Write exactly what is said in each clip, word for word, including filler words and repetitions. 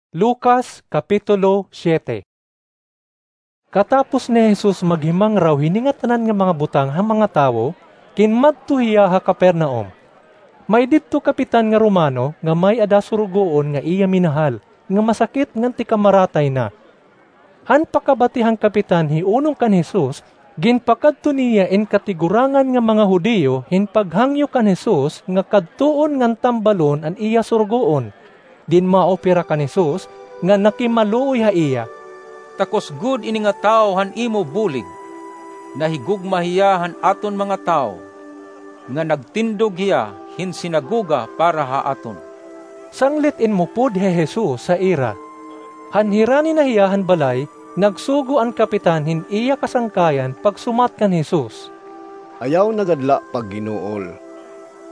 Lucas, Kapitulo siete. Katapos ni Jesus maghimangraw hini ngatanan nga mga butang ha mga tawo, kinmadto hiya ha Capernaum. May didto kapitan nga Romano nga may-ada surugoon nga iya minahal, nga masakit ngan tikamaratay na. Han pakabati han kapitan hiunong kan Jesus, ginpakadto niya in katigurangan nga mga Judio hin paghangyo kan Jesus nga kadtuon ngan tambalon an iya surugoon. Dinmaop hira kan Jesus nga nakimaluoy ha iya, "Takos gud ini nga tawo han imo bulig. Nahigugma hiya han aton mga tawo, nga nagtindog hiya hin sinagoga para ha aton." Sanglit inmupod hi Jesus ha ira. Han hirani na hiya han balay, nagsugo an kapitan hin iya kasangkayan pagsumat kan Jesus, "Ayaw na gad la pagginuol.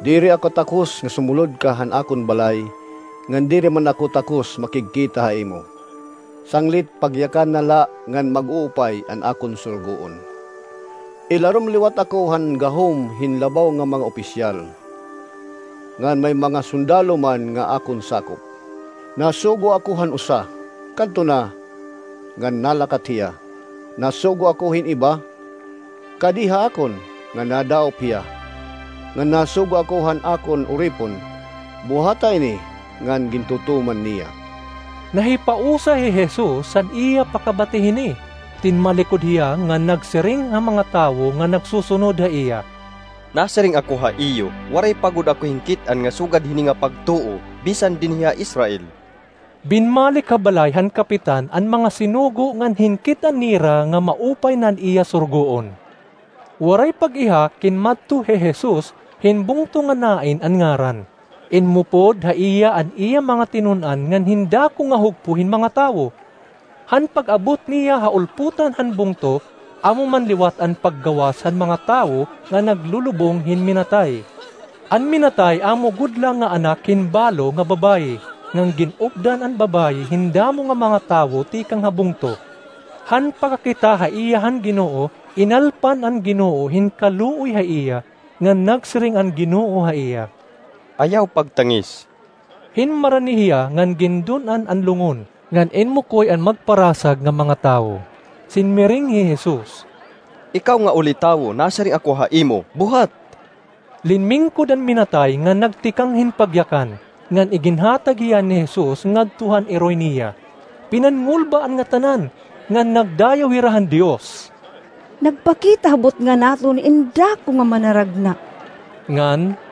Diri ako takos nga sumulod ka han akon balay, ngan diri man ako takos makigkita ha imo. Sanglit pagyakan na la ngan mag-uupay an akon surugoon. Ilarom liwat ako han gahom hin labaw nga mga opisyal, ngan may mga sundalo man nga akon sakop. Nasugo ako han usa, kadto na, ngan nalakat hiya. Nasugo ako hin iba, kadi ha akon, ngan nadaop hiya. Ngan nasugo ako han akon uripon, buhata ini, ngan gintutuman niya." Nahipausa hi Jesus han iya pakabati hini. Tinmalikod hiya ngan nagsiring ha mga tawo nga nagsusunod ha iya, "Nasiring ako ha iyo, waray pa gud ako hinkit-an nga sugad hini nga pagtuo, bisan dinhi ha Israel." Binmalik ha balay han kapitan an mga sinugo ngan hinkit-an nira nga maupay na an iya surugoon. Waray pag-iha kinmadto hi Jesus hin bungto nga Nain an ngaran. Inmupod ha iya an iya mga tinun-an ngan hin dako nga hugpo hin mga tawo. Han pag-abot niya ha ulpotan han bungto, amo man liwat an paggawas han mga tawo nga naglulubong hin minatay. An minatay amo gud la nga anak hin balo nga babaye, ngan gin-updan an babaye hin damo nga mga tawo tikang ha bungto. Han pakakita ha iya han Ginoo, inalpan an Ginoo hin kaluoy ha iya, ngan nagsiring an Ginoo ha iya, "Ayaw pagtangis." Hinmarani hiya ngan gindun-an an lungon, ngan inmukoy an magparasag nga mga tawo. Sinmiring hi Jesus, "Ikaw nga uli tawo, nasiring ako ha imo, buhat!" Linmingkod an minatay ngan nagtikang hin pagyakan, ngan iginhatag hiya ni Jesus ngadto han iroy niya. Pinanngulba an ngatanan, ngan nagdayaw hira han Dios, "Nagpakita ha butnga naton in dako nga manaragna." Ngan,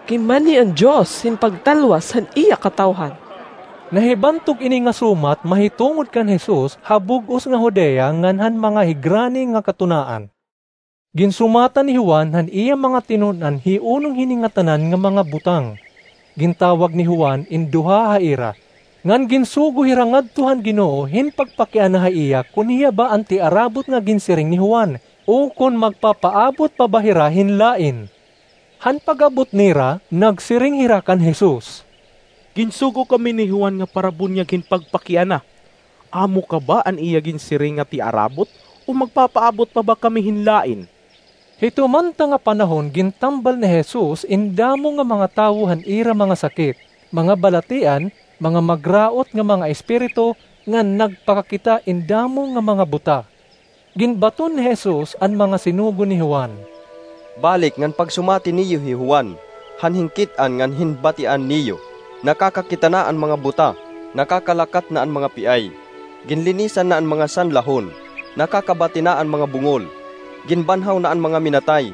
"Kinmanhi an Dios hin pagtalwas han iya katawhan." Nahibantog ini nga sumat mahitungod kan Jesus ha bug-os nga Judea ngan han mga higrani nga katunaan. Ginsumatan ni Juan han iya mga tinun-an hiunong hini ngatanan nga mga butang. Gintawag ni Juan in duha ha ira, ngan ginsugo hira ngadto han Ginoo hin pagpakiana ha iya kon hiya ba an tiarabot nga ginsiring ni Juan, o kon magpapaabot pa ba hira hin lain. Han pag-abot nira, nagsiring hira kan Jesus, "Ginsugo kami ni Juan nga parabunyag hin pagpakiana. Amo ka ba an iya ginsiring nga tiarabot, o magpapaabot pa ba kami hin lain?" Hito man ta nga panahon gintambal ni Jesus in damo nga mga tawo han ira mga sakit, mga balatian, mga magraot nga mga espiritu, ngan nagpakakita in damo nga mga buta. Ginbaton ni Jesus an mga sinugo ni Juan, "Balik ngan pagsumati niyo hi Juan, han hinkit-an ngan hinbatian niyo. Nakakakita na an mga buta, nakakalakat na an mga piay, ginlinisan na an mga sanlahon, nakakabati na an mga bungol, ginbanhaw na an mga minatay,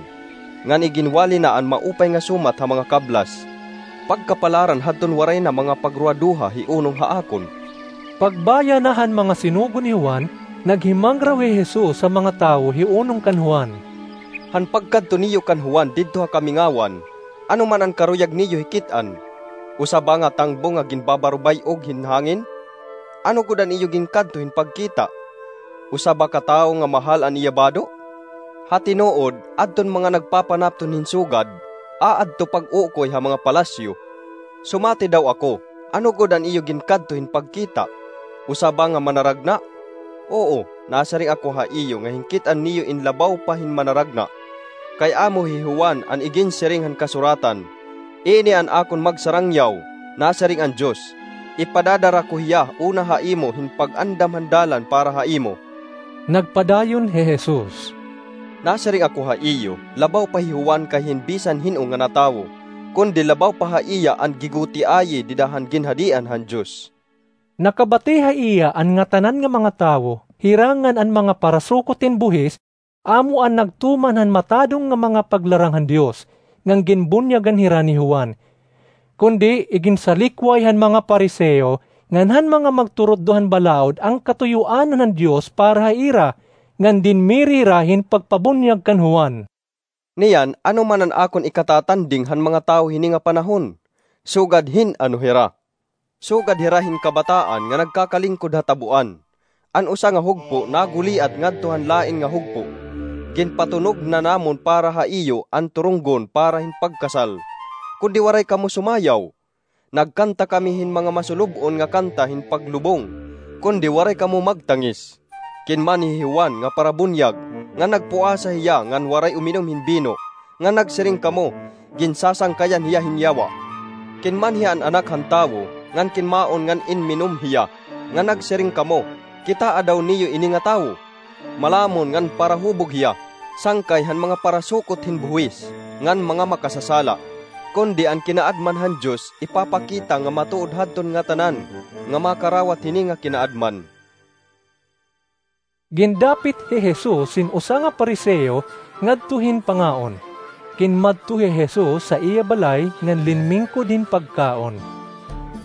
ngan iginwali na an maupay nga sumat ha mga kablas. Pagkapalaran hadton waray na mga pagruwaduha hiunong ha akon." Pagbaya na han mga sinugo ni Juan, naghimangraw hi Jesus ha mga tawo hiunong kan Juan, "Han pagkadto niyo kan Juan didto ha kamingawan, ano man an karuyag niyo hikit-an? Usa ba nga tangbo nga ginbabarubay-og hin hangin? Ano gud an iyo ginkadto hin pagkita? Usa ba ka tawo nga mahal an iya bado? Ha tinuod, adton mga nagpapanapton hin sugad, aadto pag-ukoy ha mga palasyo. Sumati daw ako, ano gud an iyo ginkadto hin pagkita? Usa ba nga manaragna? Oo, nasiring ako ha iyo nga hinkit-an niyo in labaw pa hin manaragna. Kay amo hi Juan an iginsiring han kasuratan, 'Ini an akon magsarangyaw,' nasiring an Dios. ipadadara ko hiya una ha imo hin pag-andam han dalan para ha imo." Nagpadayon hi Jesus, "Nasiring ako ha iyo, labaw pa hi Juan kay hin bisan hin-o ngana tawo, kundi labaw pa ha iya an gigutiayi dida han ginhadian han Dios." Nakabati ha iya an ngatanan nga mga tawo, hira ngan an mga parasukot hin buhis, amo an nagtuman han matadong nga mga paglarang han Dios, ngan ginbunyagan hira ni Juan. Kundi iginsalikway han mga Pariseo ngan han mga magturutdo han balaod an katuyoanan han Dios para ha ira, ngan dinmiri hira hin pagpabunyag kan Juan. "Niyan, ano man an akon ikatatanding han mga tawo hini nga panahon? Sugad hin-ano hira? Sugad hira hin kabataan nga nagkakalingkod ha tabuan. An usa nga hugpo naguliat ngadto han lain nga hugpo. Ginpatunog na namon para ha iyo an turunggon para hin pagkasal, kundi waray kamo sumayaw. Nagkanta kami hin mga masulub-on nga kanta hin paglubong, kundi waray kamo magtangis. Kinmanhi hi Juan nga parabunyag, nga nagpuasa hiya ngan waray uminom hin bino, nga nagsiring kamo, 'Ginsasangkayan hiya hin yawa.' Kinmanhi an Anak han Tawo, ngan kinmaon ngan inminom hiya, nga nagsiring kamo, 'Kitaa daw niyo ini nga tawo! Malamon ngan parahubog hiya, sangkay han mga parasukot hin buhis ngan mga makasasala. Kundi an kinaadman han Dios ipapakita nga matuod hadton ngatanan nga makarawat hini nga kinaadman.'" Gindapit hi Jesus hin usa nga Pariseo ngadto hin pangaon. Kinmadto hi Jesus ha iya balay ngan linmingkod hin pagkaon.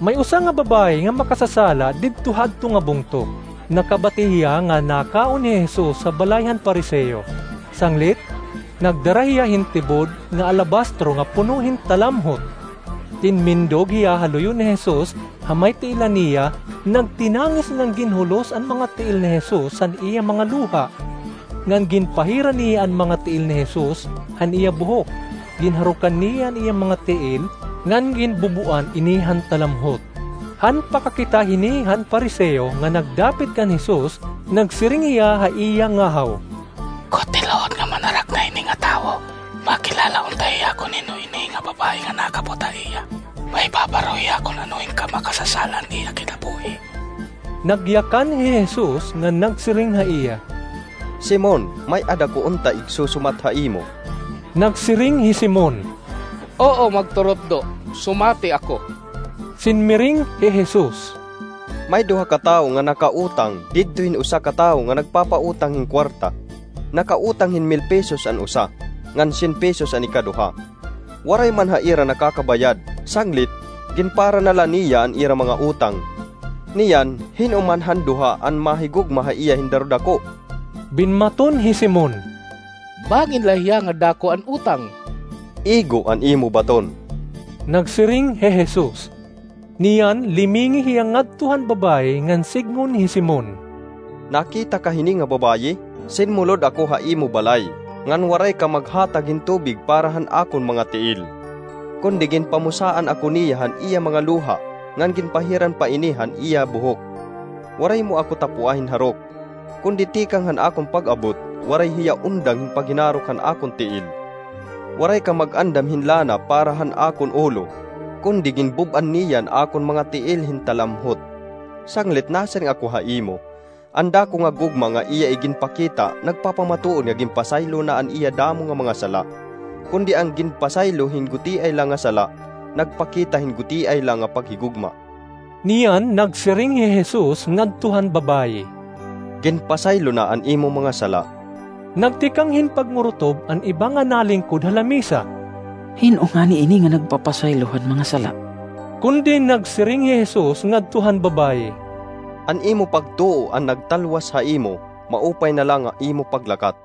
May usa nga babaye nga makasasala didto hadto nga bungto. Nakabati hiya nga nakaon hi Jesus ha balay han Pariseo. Sanglit, nagdara hiya hin tibod nga alabastro nga puno hin talamhot. Tinmindog hiya ha luyo ni Jesus ha may tiilan niya, nagtinangis ngan ginhulos an mga tiil ni Jesus han iya mga luha. Ngan ginpahiran niya an mga tiil ni Jesus han iya buhok, ginharukan niya an iya mga tiil, ngan ginbubuan ini han talamhot. Han pakakita hini han Pariseo nga nagdapit kan Jesus, nagsiring hiya ha iya ngahaw, "Kon tinuod nga Manharakna ini nga tawo, makilala unta hiya kon hin-o ini nga babaye nga nakabot ha iya. Mahibabaro hiya kon ano hin kamakasasala an iya kinabuhi." Nagyakan hi Jesus ngan nagsiring ha iya, "Simon, may-ada ko unta igsusumat ha imo." Nagsiring hi Simon, "Oo, magturutdo, sumati ako." Sinmiring hi Jesus, "May duha ka tawo nga nakautang didto hin usa ka tawo nga nagpapautang hin kuwarta. Nakautang hin mil pesos an usa, ngan syen pesos an ikaduha. Waray man ha ira nakakabayad, sanglit, ginpara na la niya an ira mga utang. Niyan, hin-o man han duha an mahigugma ha iya hin darudako?" Binmaton hi Simon, "Bangin la hiya nga dako an utang." "Igo an imo baton." Nagsiring hi Jesus. Niyan, limingi hiya ngadto han babaye ngan sidngon hi Simon, "Nakita ka hini nga babaye? Sinmulod ako ha imo balay, ngan waray ka maghatag hin tubig para han akon mga tiil. Kundi ginpamusaan ako niya han iya mga luha, ngan ginpahiran pa ini han iya buhok. Waray mo ako tapua hin harok. Kundi tikang han akon pag-abot, waray hiya undang hin paghinarok han akon tiil. Waray ka mag-andam hin lana para han akon ulo, kundi ginbub-an niya an akon mga tiil hin talamhot. Sanglit nasiring ako ha imo, an dako nga gugma nga iya iginpakita nagpapamatuod nga ginpasaylo na an iya damo nga mga sala. Kundi an ginpasaylo hin gutiay la nga sala, nagpakita hin gutiay la nga paghigugma." Niyan nagsiring hi Jesus ngadto han babaye, "Ginpasaylo na an imo mga sala." Nagtikang hin pagngurtob an iba nga nalingkod ha lamisa, "Hin-o ngani ini nga nagpapasaylo han mga sala?" Kundi nagsiring hi Jesus ngadto han babaye, "An imo pagtuo an nagtalwas ha imo, maupay na la nga imo paglakat."